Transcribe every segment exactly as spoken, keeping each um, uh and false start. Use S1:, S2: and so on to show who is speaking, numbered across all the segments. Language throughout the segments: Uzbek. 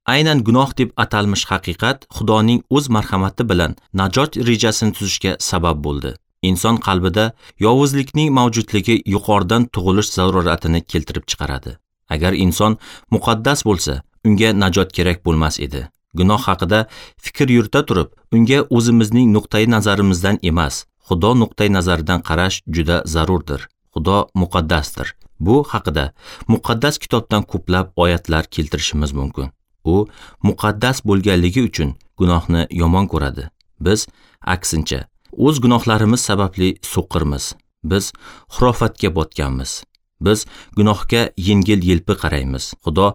S1: Aynan gunoh deb atalmish haqiqat Xudoning o'z marhamati bilan najot rejasini tuzishga sabab bo'ldi. Inson qalbida yovuzlikning mavjudligi yuqoridan tug'ilish zaruratini keltirib chiqaradi. Agar inson muqaddas bo'lsa, unga najot kerak bo'lmas edi. Gunoh haqida fikr yurita turib, unga o'zimizning nuqtai nazarimizdan emas, Xudo nuqtai nazaridan qarash juda zarurdir. Xudo muqaddasdir. Bu haqida muqaddas kitobdan ko'plab oyatlar keltirishimiz mumkin. U muqaddas bo'lganligi uchun gunohni yomon ko'radi. Biz aksincha o'z gunohlarimiz sababli so'qirmiz. Biz xurofatga botganmiz. Biz gunohga yengil-yelpi qaraymiz. Xudo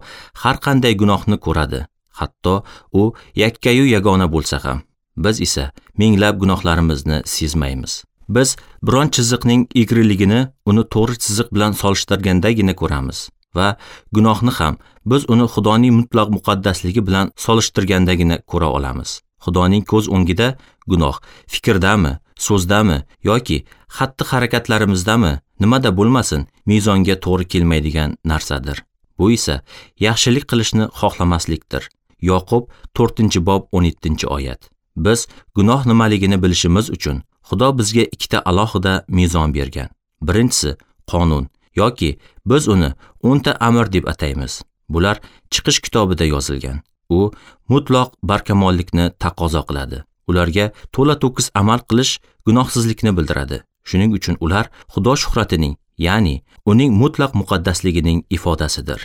S1: har qanday gunohni ko'radi, hatto u yakkayu yagona bo'lsa ham. Biz esa minglab gunohlarimizni sezmaymiz. Biz biron chiziqning egriligini uni to'g'ri chiziq bilan solishtirgandagina ko'ramiz va gunohni ham biz uni Xudoning mutlaq muqaddasligi bilan solishtirgandagina ko'ra olamiz. Xudoning ko'z o'ngida gunoh fikrdami, so'zdami yoki xatti-harakatlarimizdami, nimada bo'lmasin, mezonga to'g'ri kelmaydigan narsadir. Bu esa yaxshilik qilishni xohlamaslikdir. Yoqub to'rtinchi bob o'n yettinchi oyat. Biz gunoh nimaligini bilishimiz uchun Xudo bizga ikkita alohida mezon bergan. Birinchisi qonun yoki biz uni o'nta amr deb ataymiz. Bular Chiqish kitobida yozilgan. U mutlaq barkamollikni taqozo qiladi. Ularga to'la to'kis amal qilish gunohsizlikni bildiradi. Shuning uchun ular Xudo shuhratining, ya'ni uning mutlaq muqaddasligining ifodasidir.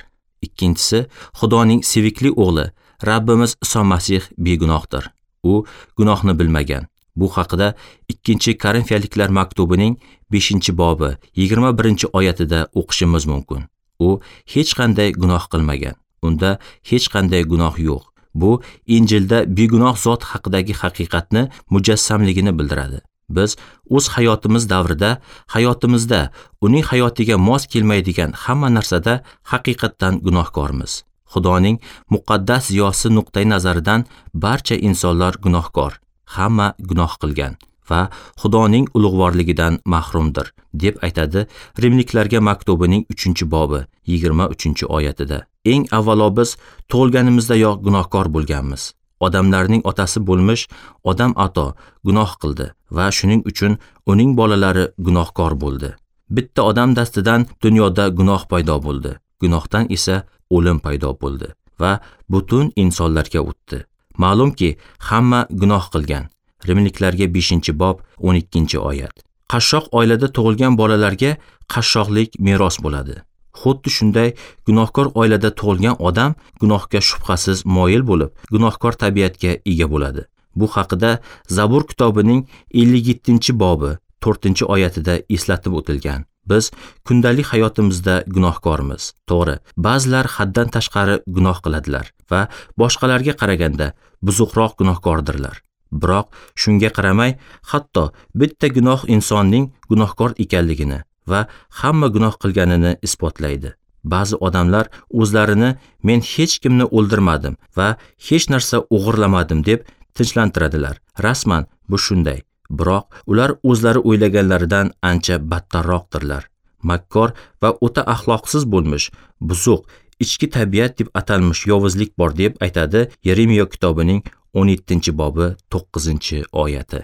S1: Ikkinchisi, Xudoning sevikli o'g'li Rabbimiz Iso Masih begunohdir. U gunohni bilmagan. Bu haqida ikkinchi Korinfiyaliklar maktubining beshinchi bobi yigirma birinchi oyatida o'qishimiz mumkin. U hech qanday gunoh qilmagan. Unda hech qanday gunoh yo'q. Bu Injilda begunoh zot haqidagi haqiqatni mujassamligini bildiradi. Biz o'z hayotimiz davrida, hayotimizda uning hayotiga mos kelmaydigan hamma narsada haqiqatdan gunohkormiz. Xudoning muqaddas ziyosi nuqtai nazaridan barcha insonlar gunohkor, hamma gunoh qilgan va Xudoning ulug'vorligidan mahrumdir, deb aytadi Rimliklarga maktubining uchinchi bobi yigirma uchinchi oyatida. Eng avvalo biz tug'ilganimizdayoq gunohkor bo'lganmiz. Odamlarning otasi bo'lmish Odam ato gunoh qildi va shuning uchun uning bolalari gunohkor bo'ldi. Bitta odam dastidan dunyoda gunoh paydo bo'ldi. Gunohdan esa o'lim paydo bo'ldi va butun insonlarga o'tdi. Ma'lumki, hamma gunoh qilgan. Rimliklarga beshinchi bob o'n ikkinchi oyat. Qashshoq oilada tug'ilgan bolalarga qashshoqlik meros bo'ladi. Xuddi shunday gunohkor oilada tug'ilgan odam gunohga shubhasiz moyil bo'lib, gunohkor tabiatga ega bo'ladi. Bu haqida Zabur kitobining ellik yettinchi bobi to'rtinchi oyatida eslatib o'tilgan. Biz kundalik hayotimizda gunohkormiz. To'g'ri, ba'zilar haddan tashqari gunoh qiladilar va boshqalarga qaraganda buzuqroq gunohkordirlar. Biroq shunga qaramay, hatto bitta gunoh insonning gunohkor ekanligini va hamma gunoh qilganini isbotlaydi. Ba'zi odamlar o'zlarini men hech kimni o'ldirmadim va hech narsa o'g'irlamadim deb tinchlantiradilar. Rasman bu shunday. Biroq ular o'zlari o'ylaganlaridan ancha battarroqdirlar. Makkor va o'ta axloqsiz bo'lmish, buzuq, ichki tabiat deb atalmish yovuzlik bor deb aytadi Yeremiya kitobining o'n yettinchi bobi to'qqizinchi oyati.